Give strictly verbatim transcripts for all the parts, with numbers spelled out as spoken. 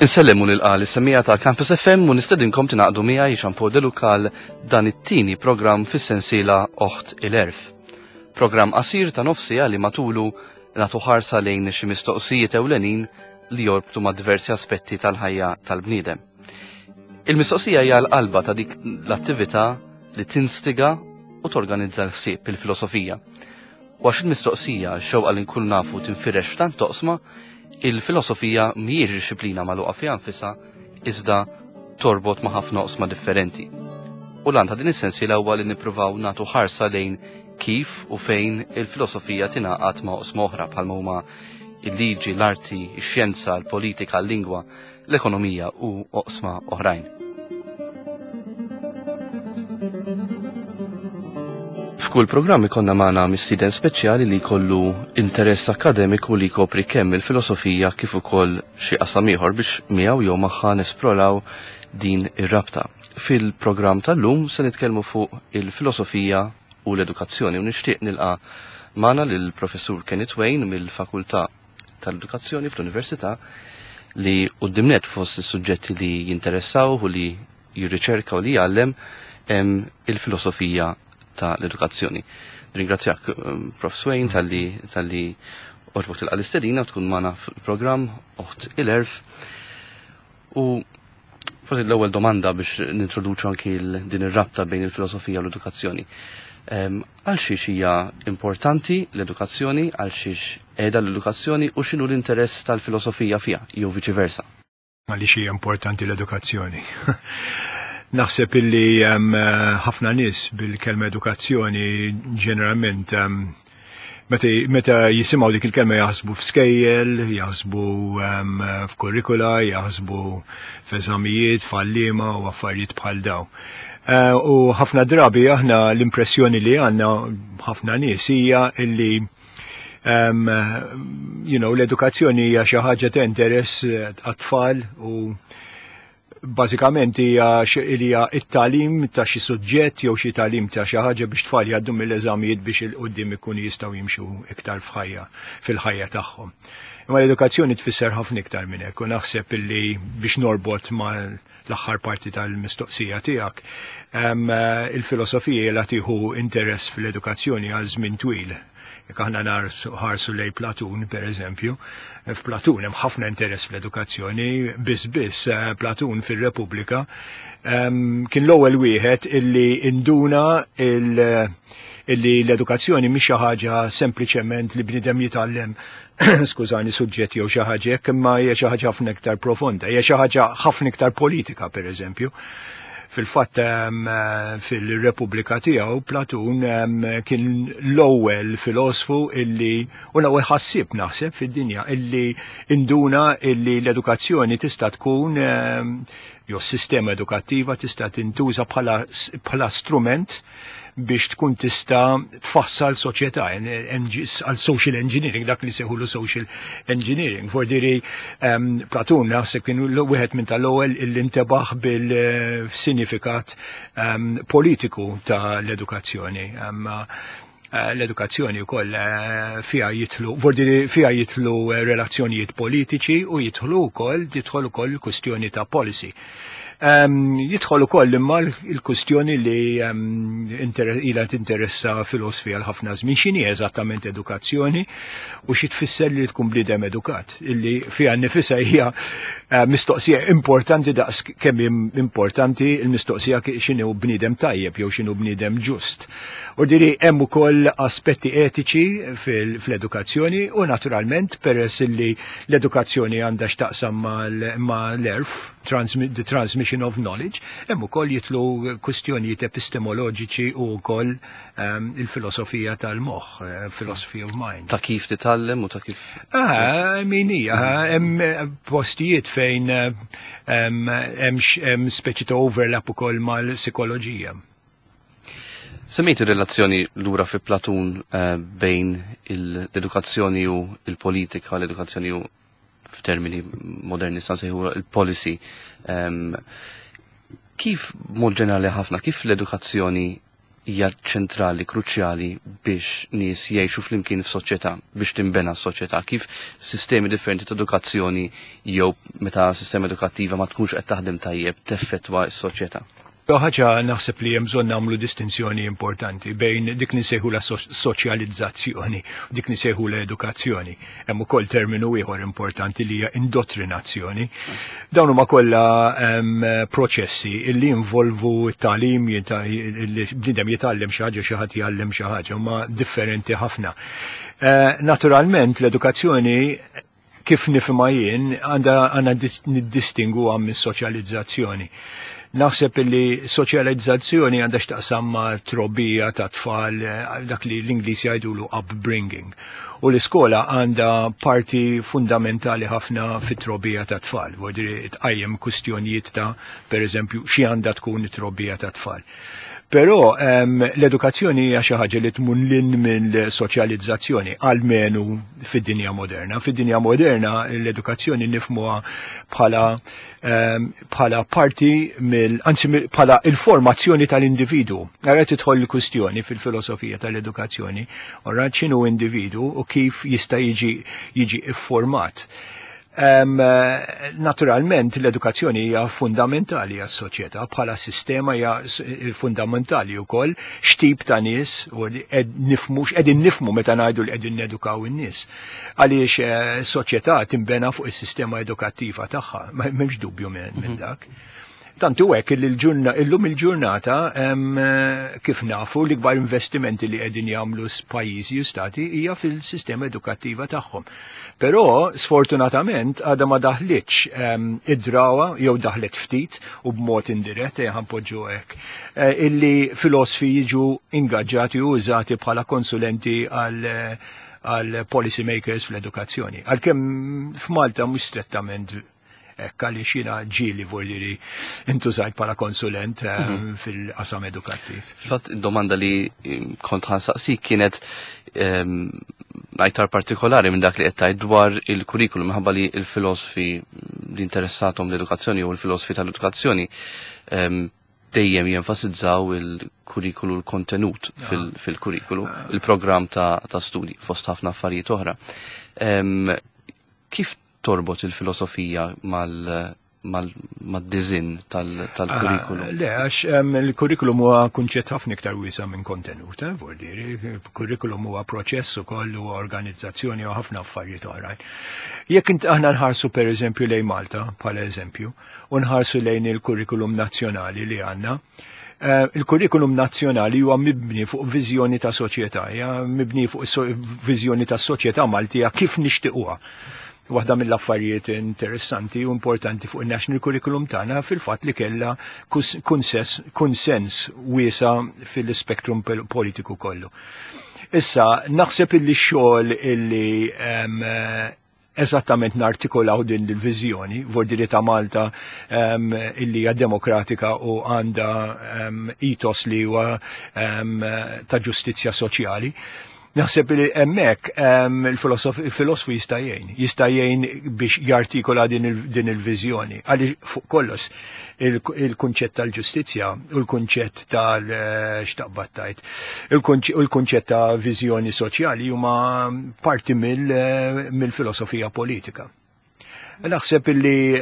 Insellem u nilqa' lis-semmiegħa ta' Campus F M u nistedinkom tingħaqdu miegħi, Jean Paul De Luca, għal dan it-tieni programm fis-sensiela Oħt il-Għerf. Programm qasir ta' nofs siegħa li matulu nagħtu ħarsa lejn xi mistoqsijiet ewlenin li jorbtu ma' diversi aspetti tal-ħajja tal-bniedem. Il-mistoqsija hija l-qalba ta' dik l-attività li tinstiga u torganizza l-ħsieb, il-filosofija. U għax il-mistoqsija, xewqa li nkun nafu, tinfirex f'tant oqsma, il-filosofija mhijiex disciplina magħluqa fiha nfisha, iżda torbot ma' ħafna oqsma differenti. U l-għan ta' din is-sensiela huwa li nippruvaw nagħtu ħarsa lejn kif u fejn il-filosofija tingħaqad ma' oqsma oħra bħalma huma il-liġi, l-arti, ix-xjenza, l-politika, l-lingwa, l-ekonomija u oqsma oħrajn. F'kull programm ikollna magħna mistieden speċjali li jkollu interess akademiku li jkopri kemm il-filosofija kif ukoll xi qasam ieħor biex miegħu jew magħha nesploraw din ir-rabta. Fil-programm tal-lum se nitkellmu fuq il-filosofija u l-edukazzjoni u nixtieq nilqa' magħna lill-Professur Kenneth Wain mill-Fakultà tal-Edukazzjoni fl-Università, li quddiem fost is-suġġetti li jinteressaw u li jirriċerka u li jgħallem hemm il-filosofija ta' l-edukazzjoni. Ringrazzjak, um, Professor Swain, talli talli għoġbok tilqa' l-istedina tkun magħna fil-programm Oħt il-Għerf. U forsi l-ewwel domanda biex nintroduċu anki din ir-rabta bejn il-filosofija u l-edukazzjoni. Għal xiex hija importanti l-edukazzjoni, għal xiex qiegħda l-edukazzjoni u x'inhu l-interess tal-filosofija fiha, jew viċi versa? Għaliex hija importanti l-edukazzjoni? Naħseb illi ħafna nies bil-kelma edukazzjoni ġeneralment meta, meta jisimgħu dik il-kelma jaħsbu f'skejjel, jaħsbu f'kurrikula, jaħsbu f'eżamijiet, f'għalliema u affarijiet bħal dawn. Uh, u ħafna drabi aħna l-impressjoni li għandna ħafna nies hija illi um, you know, l-edukazzjoni hija xi ħaġa ta' interess għat-tfal u bażikament hija hija it-tagħlim ta' xi suġġett jew xi tagħlim ta' xi ħaġa biex tfal jgħaddu mill-eżamijiet biex 'il quddiem ikunu jistgħu jimxu iktar f'ħajja fil-ħajja tagħhom. Imma l-edukazzjoni tfisser ħafna iktar minn hekk u naħseb illi biex norbot ma' l-aħħar parti tal-mistoqsija tiegħek, il-filosofija la tieħu interess fil-edukazzjoni għal żmien twil. Jekk aħna nħarsu lejn Platun, per eżempju, f'Platun hemm ħafna interess fl-edukazzjoni, biss biss eh, Platun fir-Repubblika kien l-ewwel wieħed illi induna il- illi l-edukazzjoni mhix xi ħaġa sempliċement li bniedem jitgħallem, skużani, suġġetti jew xi ħaġa hekk, imma hija xi ħaġa ħafna iktar profonda, hija xi ħaġa ħafna iktar politika, pereżempju. Fil-fatt, fil-Repubblika tiegħu Platun kien l-ewwel filosfu illi u l-ewwel ħassieb, naħseb, fid-dinja illi induna illi l-edukazzjoni tista' tkun, jew s-sistema edukattiva tista' tintuża bħala strument biex tkun tista' tfassal soċjetà għal social engineering, dak li sejħulu social engineering. Fordiri um, Platun naħseb kien wieħed minn tal-ewwel illi intebaħ bil-sinifikat um, politiku ta' l-edukazzjoni. Um, l-edukazzjoni wkoll eh, fiha jidħlu, vordiri fiha jidħlu eh, relazzjonijiet politiċi u jidħlu wkoll, jidħol ukoll kwistjoni ta' policy. Um, jidħol ukoll imma l-kustjoni li um, ila tinteressa filosofija għal ħafna żmien, x'inhi eżattament edukazzjoni u xi tfisser li tkun bniedem edukat, illi fiha nnifisha hija uh, mistoqsija importanti daqs kemm importanti l-mistoqsija x'inhu bniedem tajjeb jew x'inhu bniedem ġust. U diri hemm ukoll aspetti etiċi fl-edukazzjoni u naturalment peress li l-edukazzjoni għandha x'taqsam mal-għerf, the transmission of knowledge, hemm ukoll jidħlu kwistjonijiet epistemoloġiċi u wkoll um, il-filosofija tal-moħħ, uh, philosophy of mind. Ta' kif titgħallem u ta' kif. Ah, min hija, hemm postijiet fejn hemm speċi ta' overlap ukoll mal-psikoloġija. Semmejt ir-relazzjoni lura fi Platun uh, bejn l-edukazzjoni u il-politika, l-edukazzjoni u f'termini moderni nsejħu il-policy. Um, kif mod ġenerali ħafna, kif l-edukazzjoni Hija ċentrali, kruċjali biex nies jgħixu flimkien f'soċjetà, biex tinbena s-soċjetà, kif sistemi differenti ta' edukazzjoni jew meta sistema edukattiva ma tkunx qed taħdem tajjeb teffettwa s-soċjetà. Ħaġa, naħseb li hemm bżonn nagħmlu distinzjoni importanti bejn dik li nsejħu la soċjalizzazzjoni u dik li nsejħu l-edukazzjoni. Hemm ukoll terminu ieħor importanti li hija indottrinazzjoni. Dawn huma kollha proċessi illi involvu t-tagħlim, li bniedem jitgħallem xi ħaġa, xi ħadd jgħallem xi ħaġa, huma differenti ħafna. Eh, naturalment l-edukazzjoni kif nifhimha jien għandha għandna niddistingu għam mis-soċjalizzazzjoni. Naħseb li soċjalizzazzjoni għandha x'taqsam ma' trobbija ta' tfal, eh, dak li l-Ingliż jgħidulu upbringing. U l-iskola għandha parti fundamentali ħafna fit-trobbija ta' tfal. Vuol tqajjem kwistjonijiet ta', per eżempju, xi għandha tkun it-trobbija ta' tfal. Però um, l-edukazzjoni hija xi ħaġa li tmur lil hinn mill-soċjalizzazzjoni, almenu fid-dinja moderna. Fid-dinja moderna l-edukazzjoni nifhmuha bħala um, bħala parti mill, anzi bħala il-formazzjoni tal-individu. Ara tidħol il-kwistjoni fil-filosofija tal-edukazzjoni, ora x'inhu individu u kif jista' jiġi jiġi ifformat. Um, naturalment l-edukazzjoni hija fundamentali għas-soċjetà bħala sistema, hija fundamentali wkoll x'tip ta' nies u nifhmu x'qegħdin nifhmu meta ngħidu li qegħdin nedukaw in-nies. Għaliex eh, soċjetà tinbena fuq is-sistema edukattiva tagħha, m'hemmx dubju minn mm dak. Tantu hekk li illum il-ġurnata, kif nafu, l-ikbar investimenti li qegħdin jagħmlu pajjiżi u stati hija fil-sistema edukattiva tagħhom. Però sfortunatament għadha ma daħlitx id-drawa, jew daħlet ftit u b'mod indirett, ħa npoġġu hekk, eh, illi filosofi jiġu ingaġġati u użati bħala konsulenti għal għal policy makers fl-edukazzjoni. Għalkemm f'Malta mhux strettament hekk, għaliex jiena ġieli vuol intużajt bħala konsulent eh, mhm. fil-qasam edukattiv. Fatt, domanda li kont ħa nsaqsik kienet ehm, aktar partikolari minn dak li qed dwar il-kurrikulum, minħabba li il-filosofi li interessatom l-edukazzjoni u l-filosofi tal-edukazzjoni ehm, dejjem jenfasizzaw il-kurrikulu, l-kontenut fil-kurrikulu, ah. il-programm ta', ta studi fost ħafna affarijiet oħra. Ehm, kif torbot il-filosofija mal mad-disinn tal-kurrikulum? Ah, le, għax il-kurrikulum huwa kunċett ħafna iktar wiesa' minn kontenut, eh, vuol dire, kurrikulum huwa proċess ukoll, huwa organizzazzjoni u ħafna affarijiet oħrajn. Jekk int aħna nħarsu per eżempju lejn Malta, bħala eżempju, u nħarsu lejn il-kurrikulum nazzjonali li għandna, eh, il-kurrikulum nazzjonali huwa mibni fuq viżjoni ta' soċjetà, mibni fuq viżjoni ta' soċjetà Maltija kif nixtiequha. Waħda mill-affarijiet interessanti u importanti fuq il-National Curriculum tagħna fil-fatt li kellha konsens wiesa' fil-spektrum politiku kollu. Issa, naħseb illi xogħol illi eżattament nartikolaw din il-viżjoni, vuol ta' Malta um, illi hija demokratika u għandha um, ethos li huwa um, ta' ġustizzja soċjali. Naħseb li hemmhekk il-filosofu jista' jgħin, jista' jgħin biex jartikola din il-viżjoni. Għaliex fuq kollox il-kunċett tal-ġustizzja u l-kunċett tal-xtaqbattajt, il-kunċett ta' viżjoni soċjali huma parti mill-filosofija politika. Naħseb illi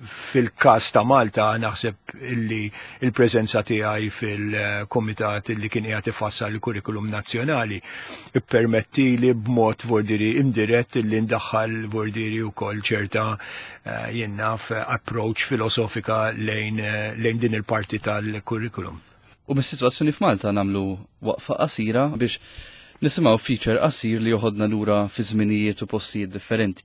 fil-kas ta' Malta, naħseb illi il-preżenza tiegħi fil-komitat illi kien qiegħed ifassal il-kurrikulum nazzjonali ippermetti li b'mod vuol dire indirett illi ndaħħal vuol dire wkoll ċerta eh, jien naf approach filosofika lejn, lejn din il-parti tal-kurrikulum. U mis-sitwazzjoni f'Malta nagħmlu waqfa qasira biex nisimgħu feature qasir li joħodna lura fi żminijiet u postijiet differenti.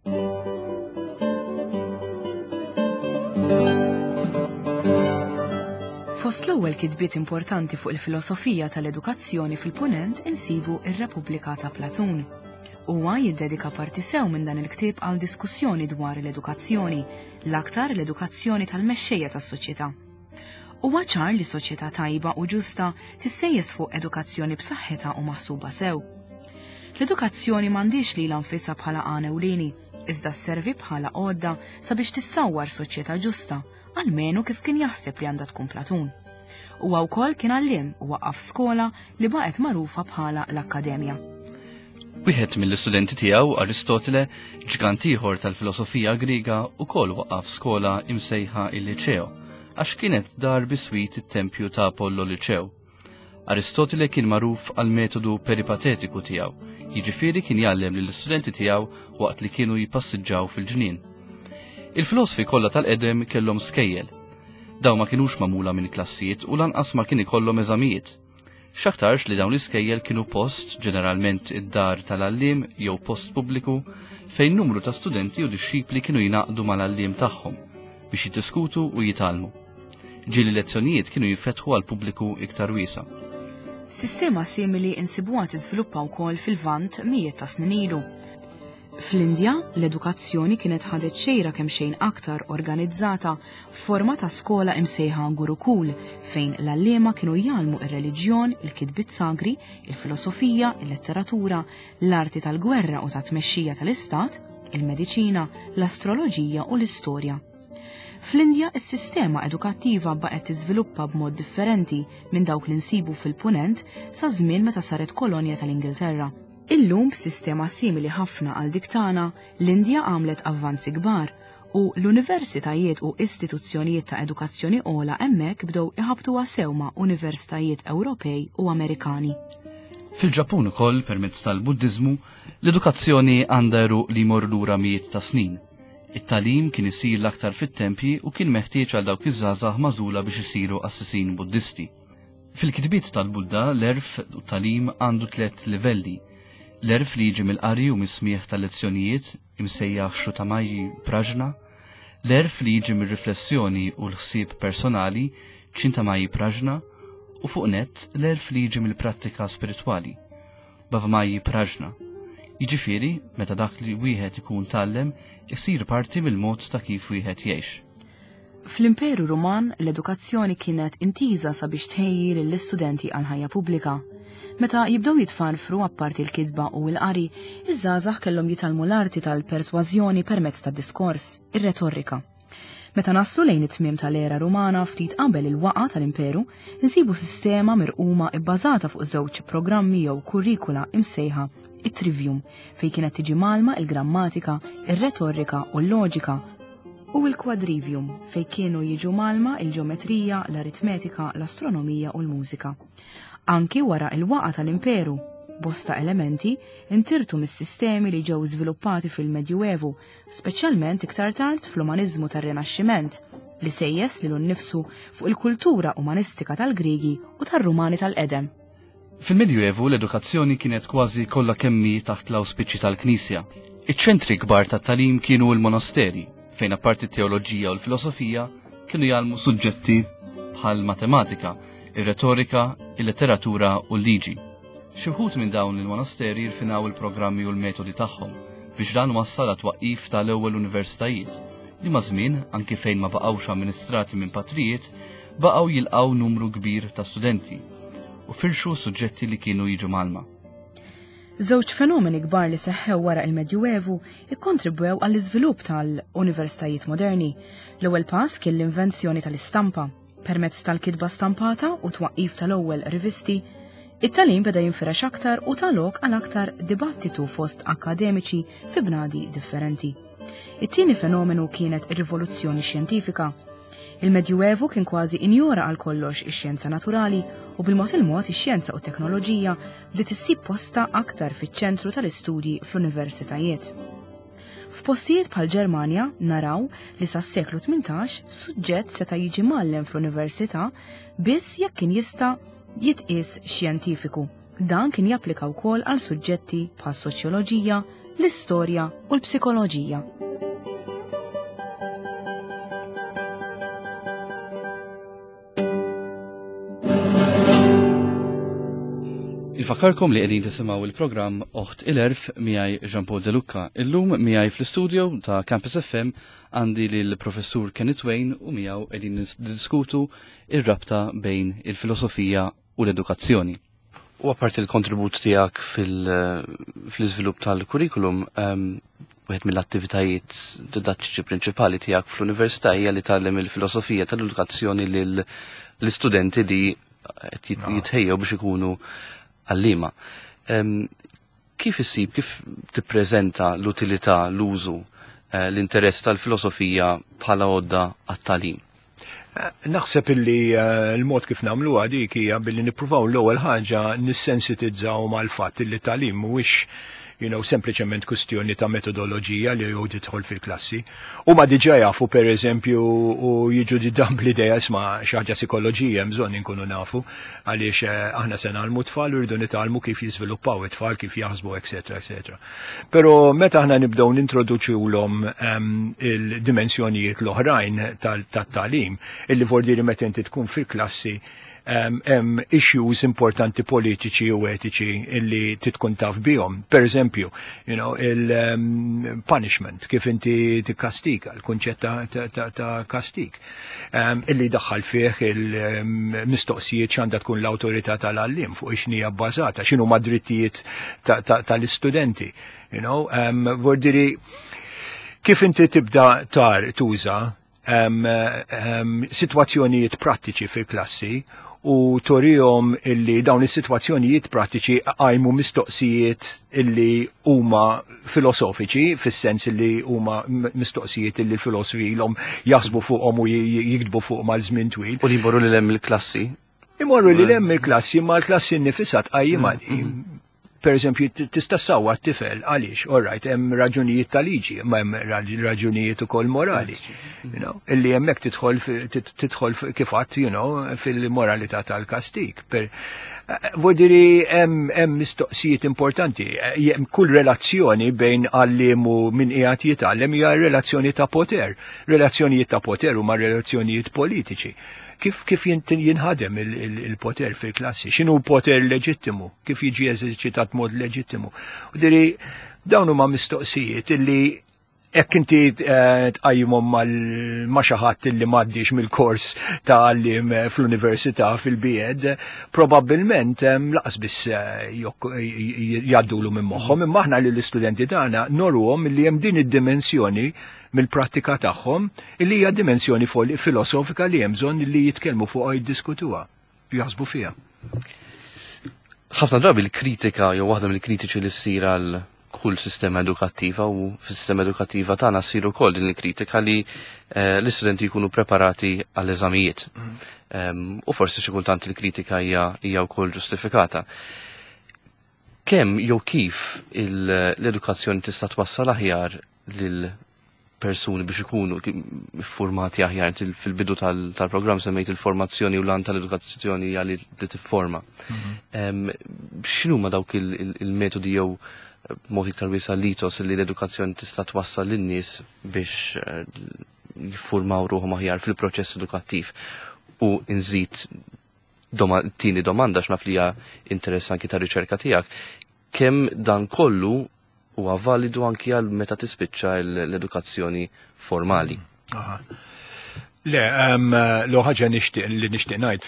Fost l-ewwel kitbiet importanti fuq il-filosofija tal-edukazzjoni fil-Punent insibu ir-Repubblika ta' Platun. Huwa jiddedika parti sew minn dan il-ktieb għal diskussjoni dwar l-edukazzjoni, l-aktar l-edukazzjoni tal-mexxejja tas-soċjetà. Huwa ċar li soċjetà tajba u ġusta tissejjes fuq edukazzjoni b'saħħitha u maħsuba sew. L-edukazzjoni m'għandix lilha nfisha bħala għan ewlieni, iżda sservi bħala għodda sabiex tissawwar soċjetà ġusta, almenu kif kien jaħseb li għandha tkun Platun. Huwa wkoll kien għalliem u waqqaf skola li baqgħet magħrufa bħala l-Akkademja. Wieħed mill-istudenti tiegħu, Aristotele, ġgant ieħor tal-filosofija Griega, ukoll waqqaf skola imsejħa il-Liċeo, għax kienet dar biswit it-tempju ta' Apollo Liċeo. Aristotele kien magħruf għal metodu peripatetiku tiegħu, jiġifieri kien jgħallem lill-istudenti tiegħu waqt li kienu jippassiġġaw fil-ġnien. Il-filosofi kollha tal-qedem kellhom skejjel. Dawn ma kinux magħmula minn klassijiet u lanqas ma kien ikollhom eżamijiet. X'aktarx li dawn l-iskejjel kienu post, ġeneralment id-dar tal-għalliem jew post pubbliku, fejn numru ta' studenti u dixxipli kienu jingħaqdu mal-għalliem tagħhom biex jiddiskutu u jitgħallmu. Ġieli lezzjonijiet kienu jinfetħu għal pubbliku iktar wiesa'. Sistema simili insibuha tiżviluppa wkoll fil-Lvant mijiet ta' snin ilu. Fl-Indja, l-edukazzjoni kienet ħadet xejra kemm xejn aktar organizzata f'forma ta' skola imsejħa Gurukul, fejn l-għalliema kienu jgħallmu ir-reliġjon, il-kitbiet sagri, il-filosofija, il-letteratura, l-arti tal-gwerra u ta' tmexxija tal-istat, il-mediċina, l-astroloġija u l-istorja. Fl-Indja, is-sistema edukattiva baqgħet tiżviluppa b'mod differenti minn dawk li nsibu fil-Punent sa żmien meta saret kolonja tal-Ingilterra. Illum b'sistema simili ħafna għal dik tagħna, l-Indja għamlet avvanzi kbar u l-universitajiet u istituzzjonijiet ta' edukazzjoni ogħla hemmhekk bdew iħabtuha sew ma' universitajiet Ewropej u Amerikani. Fil-Ġappun ukoll, permezz tal-Buddiżmu, l-edukazzjoni għandha għeruq li jmorru lura mijiet ta' snin. It-tagħlim kien isir l-aktar fit-tempji u kien meħtieġ għal dawk iż-żgħażagħ magħżula biex isiru assisin Buddisti. Fil-kitbiet tal-Budda, l-għerf u t-tagħlim għandu tliet livelli. L-għerf li jiġi mill-qari u mis-smieħ tal-lezzjonijiet, imsejjaħ Shrutamayi Prajna, l-għerf li jiġi mir-riflessjoni u l-ħsieb personali, Chintamayi Prajna, u fuq nett l-għerf li jiġi mill-prattika spiritwali, Bhavamayi Prajna. Jiġifieri, meta dak li wieħed ikun tgħallem, isir parti mill-mod ta' kif wieħed jgħix. Fl-Imperu Ruman, l-edukazzjoni kienet intiża sabiex tħejji lill-istudenti għal ħajja pubblika. Meta jibdew jitfarfru apparti l-kitba u l-qari, iż-żgħażagħ kellhom jitgħallmu l-arti tal-persważjoni permezz tad-diskors, ir-retorika. Meta naslu lejn it-tmiem tal-era Rumana ftit qabel il-waqa tal-Imperu, insibu sistema mirquma ibbażata fuq żewġ programmi jew kurrikula imsejħa it-trivium, fejn kienet tiġi mgħallma il-grammatika, ir-retorika u l-loġika, u l-quadrivium, fejn kienu jiġu mgħallma il-ġeometrija, l-aritmetika, l-astronomija u l-mużika. Anki wara il-waqa tal-Imperu, bosta elementi intirtu mis-sistemi li ġew żviluppati fil-Medjuevu, speċjalment iktar tard fl-umaniżmu tar-Rinaxximent, li sejjes lilu nnifsu fuq il-kultura umanistika tal-Griegi u tar-Rumani tal-qedem. Fil-Medjuevu l-edukazzjoni kienet kważi kollha kemm hi taħt l-awspiċi tal-Knisja. Iċ-ċentri kbar tat-tagħlim kienu l-monasteri, fejn apparti t-teoloġija u l-filosofija kienu jgħallmu suġġetti bħal matematika, ir-retorika, il-letteratura u l-liġi. Xi wħud minn dawn il-monasteri rfinaw il-programmi u l-metodi tagħhom biex dan wassal għat-twaqqif tal-ewwel universitajiet, li maż-żmien, anki fejn ma baqgħux amministrati minn patrijiet, baqgħu jilqgħu numru kbir ta' studenti u firxu suġġetti li kienu jiġu mgħallma. Żewġ fenomeni kbar li seħħew wara il-Medjuevu ikkontribwew għall-iżvilupp tal-universitajiet moderni. L-ewwel pass kien l-invenzjoni tal-istampa. Permezz tal-kitba stampata u twaqqif tal-ewwel rivisti, it-tagħlim beda jinfirex aktar u ta lok għal aktar dibattitu fost akademiċi fi bnadi differenti. It-tieni fenomenu kienet ir-rivoluzzjoni xjentifika. Il-Medjuevu kien kważi injora għal kollox ix-xjenza naturali u bil-mod il-mod ix-xjenza u t-teknoloġija bdiet issib posta aktar fiċ-ċentru tal-istudji fl-universitajiet. F'postijiet bħal Ġermanja naraw li sas-seklu tmintax suġġett seta' jiġi mgħallem fl-università biss jekk kien jista' jitqies xjentifiku. Dan kien japplika wkoll għal suġġetti bħal soċjoloġija, l-istorja u l-psikoloġija. Infakarkom li qegħdin tisimgħu il-programm Oħt il-Għerf miegħi Jean Paul De Lucca. Illum miegħi fl-istudio ta' Campus F M għandi lil Professur Kenneth Wain u miegħu qegħdin niddiskutu ir-rabta bejn il-filosofija u l-edukazzjoni. U apparti l-kontribut tiegħek fil-, fl-iżvilupp tal-kurrikulum, ehm, wieħed mill-attivitajiet didattiċi prinċipali tiegħek fl-università hija li tgħallem il-filosofija tal-edukazzjoni lil l-istudenti li qed jitħejjew biex ikunu għalliema. Kif issib, kif tippreżenta l-utilità, l-użu, eh, l-interess tal-filosofija bħala għodda għat-tagħlim? Eh, naħseb illi eh, l-mod kif nagħmlu dik hija billi nippruvaw l-ewwel ħaġa nissensitizzaw mal-fatt illi tagħlim mhuwiex you know, sempliċement kustjoni ta' metodoloġija li jew tidħol fil-klassi. U ma diġà jafu, per eżempju, u jiġu dan bl-idea, isma', xi ħaġa psikoloġija bżonn inkunu nafu għaliex eh, aħna se ngħallmu tfal u rridu nitgħallmu kif jiżviluppaw it-tfal, kif jaħsbu, eċetera, eċetera. Però meta aħna nibdew nintroduċulhom um, il-dimensjonijiet l-oħrajn tat-tagħlim, illi vordiri meta inti tkun fil-klassi hemm issues importanti politiċi u etiċi illi titkun taf bihom. Per eżempju, you know, il-punishment, kif inti tikkastika, il-kunċett ta', ta, ta kastik. Um, illi daħħal fih il-mistoqsijiet x'għandha tkun l-awtorità tal-għallim, fuq x'inhija bbażata, x'inhu ma drittijiet tal-istudenti. You know, um, vordiri, kif inti tibda tar tuża um, um, situazzjonijiet prattiċi fil-klassi u turihom illi dawn is-sitwazzjonijiet prattiċi għajmu mistoqsijiet illi huma filosofiċi, fis-sens illi huma mistoqsijiet illi l-filosofi ilhom jaħsbu fuqhom u jiktbu fuq mal żmien twil. U li jmorru lil hemm il-klassi. Imorru lil hemm il-klassi, ma l-klassi nnifisha tqajjimha. Mm-hmm. Per eżempju, tista' ssawwat tifel għaliex, all right, hemm raġunijiet ta' liġi, ma hemm raġunijiet ukoll morali. You know, illi hemmhekk tidħol tidħol kif għadt, you know, fil-moralità tal-kastik. Per Vodiri hemm mistoqsijiet importanti. Hemm kull relazzjoni bejn għalliem u min qiegħed jitgħallem hija relazzjoni ta' poter. Relazzjonijiet ta' poter huma relazzjonijiet politiċi. Kif kif jinħadem il-poter fil-klassi, x'inhu poter leġittimu, kif jiġi eżerċitat mod leġittimu? U diri, dawn huma mistoqsijiet illi jekk inti eh, tqajjimhom ma' xi ħadd illi m'għaddix mill-kors ta' għalliem fl-università fil-B Ed, probabbilment lanqas biss eh, jgħaddulu minn moħħhom, imma aħna lill istudenti tagħna nuruhom li hemm din id-dimensjoni mill-prattika tagħhom illi hija dimensjoni filosofika li hemm bżonn li jitkellmu fuqha, jiddiskutuha, jaħsbu fiha. Ħafna drabi l-kritika jew waħda mill-kritiċi li ssir għal kull sistema edukattiva, u fis-sistema edukattiva tagħna ssir ukoll din il-kritika, li eh, l-istudenti jkunu preparati għall-eżamijiet. Mm. U forsi xi kultant il-kritika hija hija wkoll ġustifikata. Kemm jew kif l-edukazzjoni tista' twassal aħjar lil persuni biex ikunu formati aħjar? Fil-bidu tal-programm semmejt il-formazzjoni u l-għan tal-edukazzjoni għalli li tifforma. Mhm. X'inhuma dawk il-metodi jew mod iktar wiesa' l-ethos li l-edukazzjoni tista' twassal lin-nies biex eh, jiffurmaw ruħhom aħjar fil-proċess edukattiv? U nżid doma, tieni domanda, x'naf li hija interess anki ta' riċerka tiegħek: kemm dan kollu huwa validu anki għal meta tispiċċa l-edukazzjoni formali? Aha. Le, um, l ħaġa nixtieq li nixtieq ngħid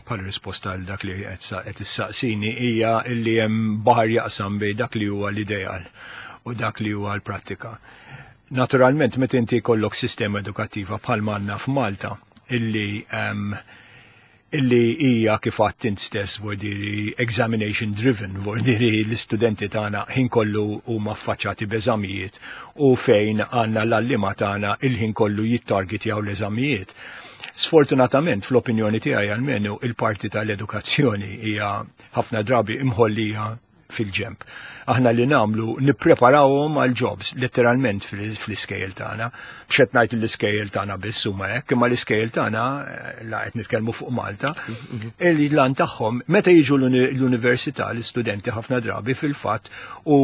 bħala risposta għal dak li qed issaqsini hija li hemm baħar jaqsam bejn dak li huwa l-ideal u dak li huwa l-prattika. Naturalment, meta inti jkollok sistema edukattiva bħal għandna f'Malta illi um, illi hija, kif għedt int stess, vordiri examination driven, vordiri l-istudenti tagħna ħin kollu huma affaċċati b'eżamijiet u fejn għandna l-għalliema tagħna il-ħin kollu jittargetjaw l-eżamijiet. Sfortunatament, fl-opinjoni tiegħi almenu, il-parti tal-edukazzjoni hija ħafna drabi imħollija fil-ġemp. Aħna li nagħmlu nippreparawhom għal jobs letteralment fl-iskejjel tagħna. Mhux qed ngħid l-iskejjel tagħna biss huma hekk, imma l-iskejjel tagħna, eh, la qed nitkellmu fuq Malta, il lan tagħhom meta jiġu l-università l-istudenti ħafna drabi fil-fatt u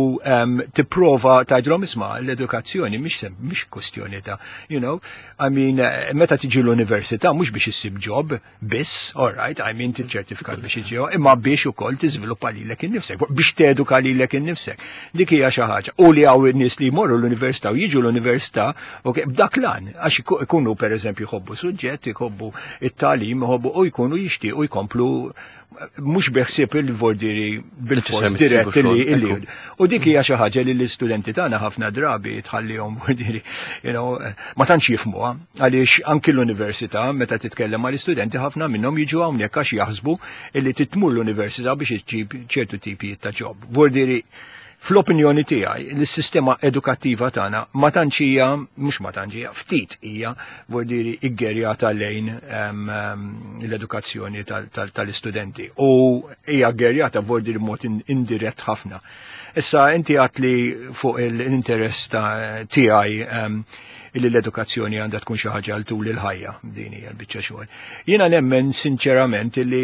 tipprova tgħidlhom, isma', l-edukazzjoni mhix mhix kwestjoni ta' you know, I mean, eh, meta tiġi l-università mhux biex issib job biss, all right, I mean, tiċ-ċertifikat biex iġi, imma biex ukoll tiżviluppa lilek innifsek, biex teduka lilek innifsek. Dik hija xi ħaġa. U li hawn nies li jmorru l-università u jiġu l-università, ok, b'dak l-għan, għax ikunu pereżempju jħobbu suġġett, jħobbu it-tagħlim, jħobbu u jkunu jixtiequ jkomplu. Mhux beħsieb il-vordiri bil-fors dirett illi illi. U dik hija xi ħaġa li l-istudenti tagħna ħafna drabi tħallihom, vordiri, you know, ma tantx jifhmuha, għaliex anki l-università, meta titkellem mal-istudenti, ħafna minnhom jiġu hawnhekk għax jaħsbu illi tmur l-università biex iġġib ċertu tipi ta' job. Vordiri, fl-opinjoni tiegħi, l-sistema edukattiva tagħna ma tantx hija, mhux ma tantx hija, ftit hija vordiri iggerjata lejn l-edukazzjoni tal-istudenti u hija ggerjata vordiri mod indirett ħafna. Issa, inti għedt li fuq l-interess ta' tiegħi illi l-edukazzjoni għandha tkun xi ħaġa għal tul il-ħajja, din hija l-biċċa xogħol. Jiena nemmen sinċerament illi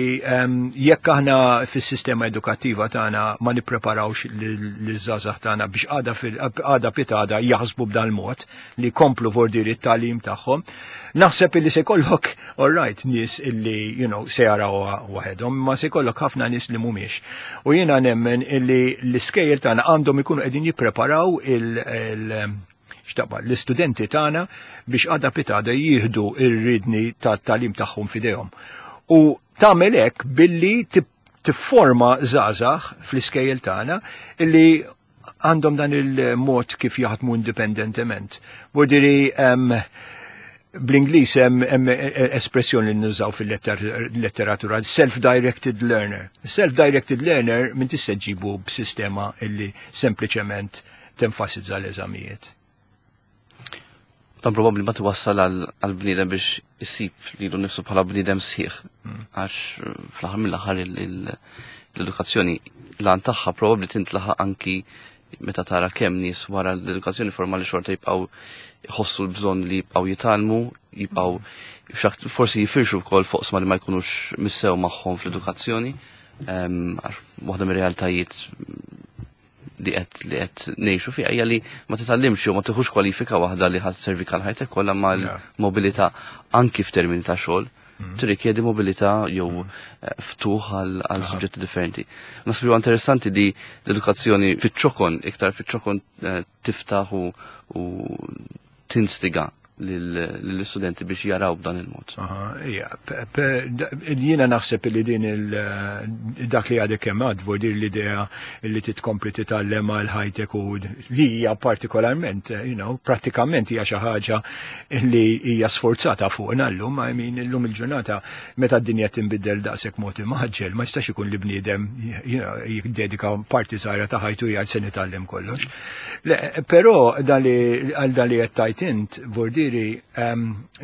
jekk aħna fis-sistema edukattiva tagħna ma nippreparawx liż-żgħażagħ tagħna biex għada għada pitgħada jaħsbu b'dan mod li komplu vordiri t-tagħlim tagħhom, naħseb illi se jkollok, all right, nies illi you know, se jaraw waħedhom, ma se jkollok ħafna nies li mhumiex. U jiena nemmen illi l-iskejjel tagħna għandhom ikunu qegħdin jippreparaw il-, il xtaqba, l-istudenti tagħna biex għada pitgħada jieħdu ir-riedni tat-tagħlim tagħhom f'idejhom. U tagħmel hekk billi tifforma żgħażagħ fl-iskejjel tagħna illi għandhom dan il-mod kif jaħdmu indipendentement. Vordiri, bl-Ingliż hemm espressjoni li nużaw fil-letteratura, self-directed learner. Self-directed learner minn tista' ġibu b'sistema illi sempliċement tenfasizza l-eżamijiet. Dan probabbli ma twassal għal bniedem biex isib lilu nifsu bħala bniedem sħiħ. Hmm. Għax fl-aħħar mill-aħħar l-edukazzjoni l-għan tagħha probabbli tintlaħaq anki meta tara kemm nies wara l-edukazzjoni formali xorta jibqgħu jħossu l-bżonn li jibqgħu jitgħallmu, jibqgħu forsi jifirxu wkoll fuq li ma jkunux missew magħhom fl-edukazzjoni. Għax waħda mir-realtajiet li qed li qed ngħixu fiha hija li ma titgħallimx jew ma tieħux kwalifika waħda li ħadd servi għal ħajtek kollha, mal-mobilità anki f'termini ta' xogħol mm. tirrikjedi mobilità jew mm. eh, ftuħ għal suġġetti differenti. Naħseb huwa interessanti li l-edukazzjoni fiċ-ċokon, iktar fiċ-ċokon, eh, tiftaħ u tinstiga l-istudenti biex jaraw b'dan il-mod. Jiena naħseb li din dak li għadek kemm għedt, dir l-idea li titkompli titgħallem għal ħajtek u li hija partikolarment, you know, pratikament hija xi ħaġa li hija sforzata fuqna llum, I mean, illum il-ġurnata meta d-dinja tinbidel daqshekk mod imgħaġġel, ma jistax ikun li bniedem jiddedika parti żgħira ta' ħajtu jgħid se nitgħallem kollox. Però għal dan li qed tgħid int, vordi, ġifieri,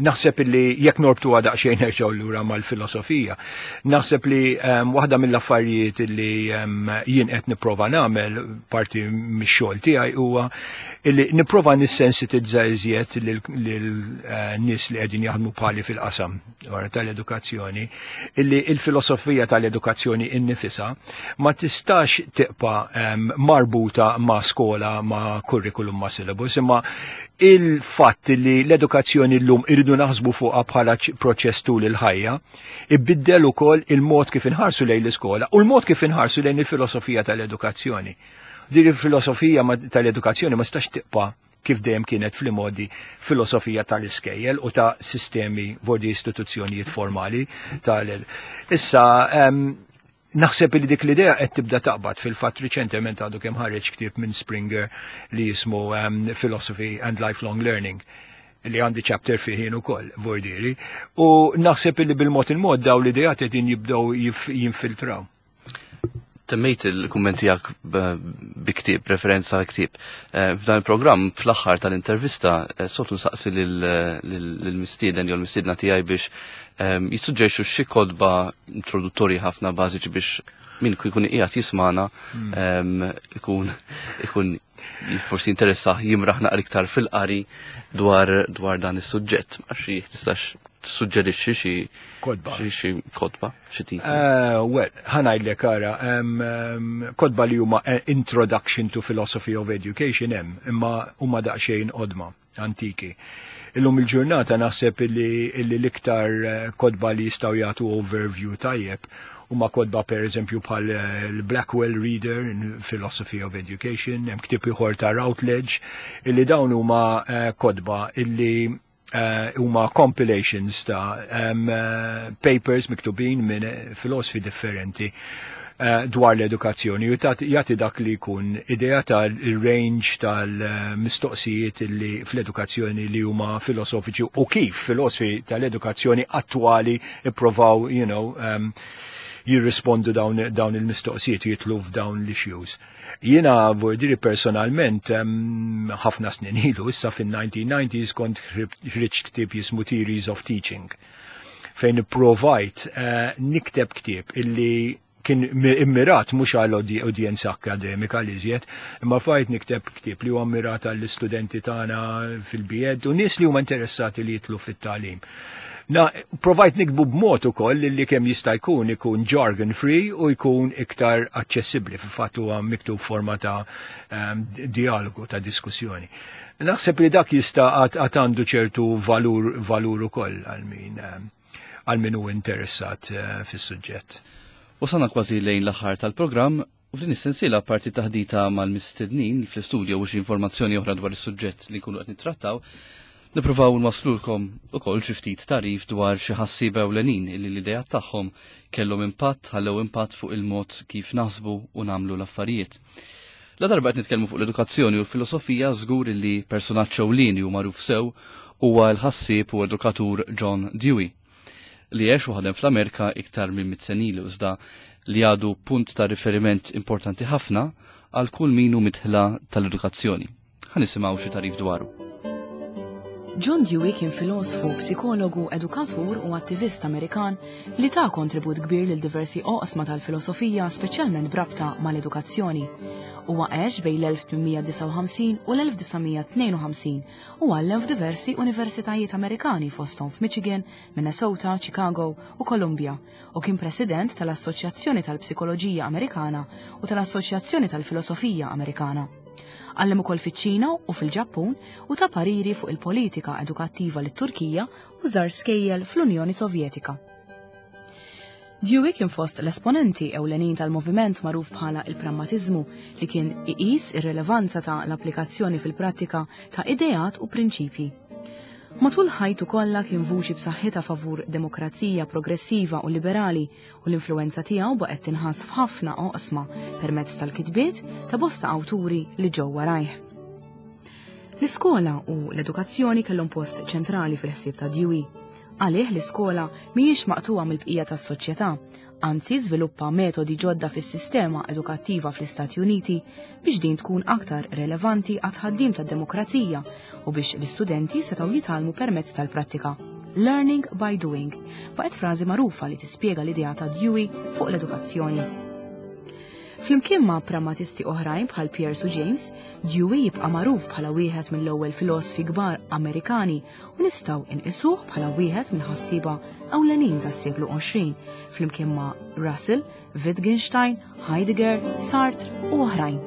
naħseb li jekk norbtu daqsxejn nerġgħu lura mal-filosofija, naħseb li waħda mill-affarijiet li jien qed nipprova nagħmel parti mix-xogħol tiegħi huwa illi nipprova nissensitizza iżjed lil nies li qegħdin jaħdmu bħali fil-qasam tal-edukazzjoni illi il-filosofija tal-edukazzjoni innifisa ma tistax tibqa' marbuta ma' skola, ma' curriculum, ma' syllabus, imma il-fatt li l-edukazzjoni l-lum irridu naħsbu fuqha bħala proċess tul il-ħajja, ibiddel ukoll il-mod kif inħarsu lejn l-iskola u l-mod kif inħarsu lejn il-filosofija tal-edukazzjoni. Din il-filosofija tal-edukazzjoni ma tistax tibqa' kif dejjem kienet fl-modi filosofija tal-iskejjel u ta' sistemi vordi istituzzjonijiet formali tal. Issa, um, naħseb li dik l-idea qed tibda taqbad. Fil-fatt, riċentement għadu kemm ħareġ ktieb minn Springer li jismu um, Philosophy and Lifelong Learning, li għandi chapter fih jien ukoll, vordiri, u naħseb li bil-mod il-mod daw l-ideat qegħdin jibdew jinfiltraw. Temmejt il-kumment tiegħek bi ktieb, referenza għal ktieb. Eh, f'dan il-programm, fl-aħħar tal-intervista, eh, soltu nsaqsi lill-mistieden jew l-mistiedna tiegħi biex ehm, jissuġġerixxu xi kotba introduttorji ħafna bażiċi biex min jkun qiegħed jismana hmm. ehm, ikun ikun forsi interessa jimraħ naqra iktar fil-qari dwar dwar dan is-suġġett. Għax tistax tissuġġerixxi xi Kotba. Xi kotba, xi titli. Uh, well, ħa ngħidlek, ara, kotba li huma eh, Introduction to Philosophy of Education hemm, imma huma daqsxejn qodma, antiki. Illum il-ġurnata naħseb li l-iktar eh, kotba li jistgħu jagħtu overview tajjeb huma kotba per eżempju bħal l-Blackwell Reader in Philosophy of Education, hemm ktieb ieħor ta' Routledge, illi dawn huma kotba illi Huma uh, compilations ta' um, uh, papers miktubin minn filosofi differenti uh, dwar l-edukazzjoni u jagħti dak li jkun idea tal-range tal-mistoqsijiet li fl-edukazzjoni li huma filosofiċi u kif filosofi tal-edukazzjoni attwali ipprovaw, you know, um, jirrispondu dawn, dawn il-mistoqsijiet u jitlu f'dawn l-issues. Jiena vordiri personalment ħafna snin ilu, issa fin-nineteen nineties kont ħriġt ktieb jismu Theories of Teaching, fejn provajt uh, nikteb ktieb illi kien immirat mhux għal udjenza akademika li iżjed, imma fajt nikteb ktieb li huwa immirat għall-istudenti tagħna fil-B Ed u nies li huma interessati li jitlu fit-tagħlim. Na, provajt nikbu b'mod ukoll li kemm jista' jkun ikun jargon free u jkun iktar aċċessibbli, fil-fatt huwa miktub forma ta' um, dialogu, ta' diskussjoni. Naħseb li dak jista' għad għandu ċertu valur, valur ukoll għal min għal min hu interessat uh, fis-suġġett. Wasalna kważi lejn l-aħħar tal-programm u f'din is-sensiela parti taħdita mal-mistednin fl-istudju u xi informazzjoni oħra dwar is-suġġett li nkunu qed nittrattaw, nippruvaw nwaslulkom ukoll xi ftit tarif dwar xi ħassieba ewlenin illi l-idea tagħhom kellhom impatt, ħallew impatt fuq il-mod kif naħsbu u nagħmlu l-affarijiet. La darba qed nitkellmu fuq l-edukazzjoni u l-filosofija, żgur li personaġġ ewlieni u magħruf sew huwa l-ħassieb u edukatur John Dewey, li għex u ħadem fl-Amerika iktar minn mitt sena ilu, iżda li għadu punt ta' riferiment importanti ħafna għal kull min hu midħla tal-edukazzjoni. Ħa nisimgħu xi tarif dwaru. John Dewey kien filosofu, psikologu, edukatur u attivist Amerikan li ta' kontribut kbir lil diversi oqsma tal-filosofija, speċjalment b'rabta mal-edukazzjoni. Huwa għex bejn l-elf tmien mija disgħa u ħamsin u l-elf disa' mija tnejn u ħamsin u għallem f'diversi universitajiet Amerikani fosthom f'Michigan, Minnesota, Chicago u Columbia, u kien president tal-Assoċjazzjoni tal-Psikoloġija Amerikana u tal-Assoċjazzjoni tal-Filosofija Amerikana. Għallem ukoll fiċ-Ċina u fil-Ġappun u ta' pariri fuq il-politika edukattiva lit-Turkija u żar skejjel fl-Unjoni Sovjetika. Dewey kien fost l-esponenti ewlenin tal-moviment magħruf bħala il-prammatiżmu, li kien iqis ir-relevanza ta' l-applikazzjoni fil-prattika ta' ideat u prinċipji. Matul ħajtu kollha kien vuċi b'saħħitha favur demokrazija progressiva u liberali, u l-influenza tiegħu baqgħet tinħass f'ħafna oqsma permezz tal-kitbiet ta' bosta awturi li ġew warajh. L-iskola u l-edukazzjoni kellhom post ċentrali fil-ħsieb ta' Dewey. Għalih l-iskola mhijiex maqtuha mill-bqija tas-soċjetà, anzi żviluppa metodi ġodda fis-sistema edukattiva fl-Istati Uniti biex din tkun aktar relevanti għat-tħaddim tad-demokrazija u biex l-istudenti setgħu jitgħallmu permezz tal-prattika. Learning by doing baqgħet frażi magħrufa li tispjega l-idea ta' Dewey fuq l-edukazzjoni. Flimkien ma' prammatisti oħrajn bħal Peirce u James, Dewey jibqa' magħruf bħala wieħed mill-ewwel filosofi kbar Amerikani u nistgħu inqisuh bħala wieħed mill-ħassieba ewlenin tas-seklu għoxrin, flimkien ma' Russell, Wittgenstein, Heidegger, Sartre u oħrajn.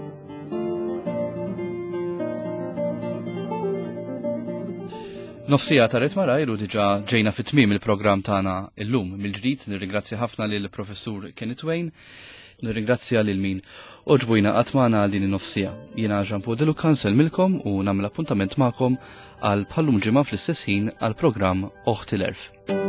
Nofsija ta' Rit Marajr u diġà ġejna fit tmiem il-programm tagħna illum. Mill-ġdid nirringrazzja ħafna lil Professur Kenneth Wain, nirringrazzja lil min oġbujna qatt magħna għal din in-nofsija. Jiena Jean Paul De Luca nsellmilkom u nagħmel appuntament magħkom għal bħallum ġimgħa fl-istess ħin għal programm Oħti l-Għerf.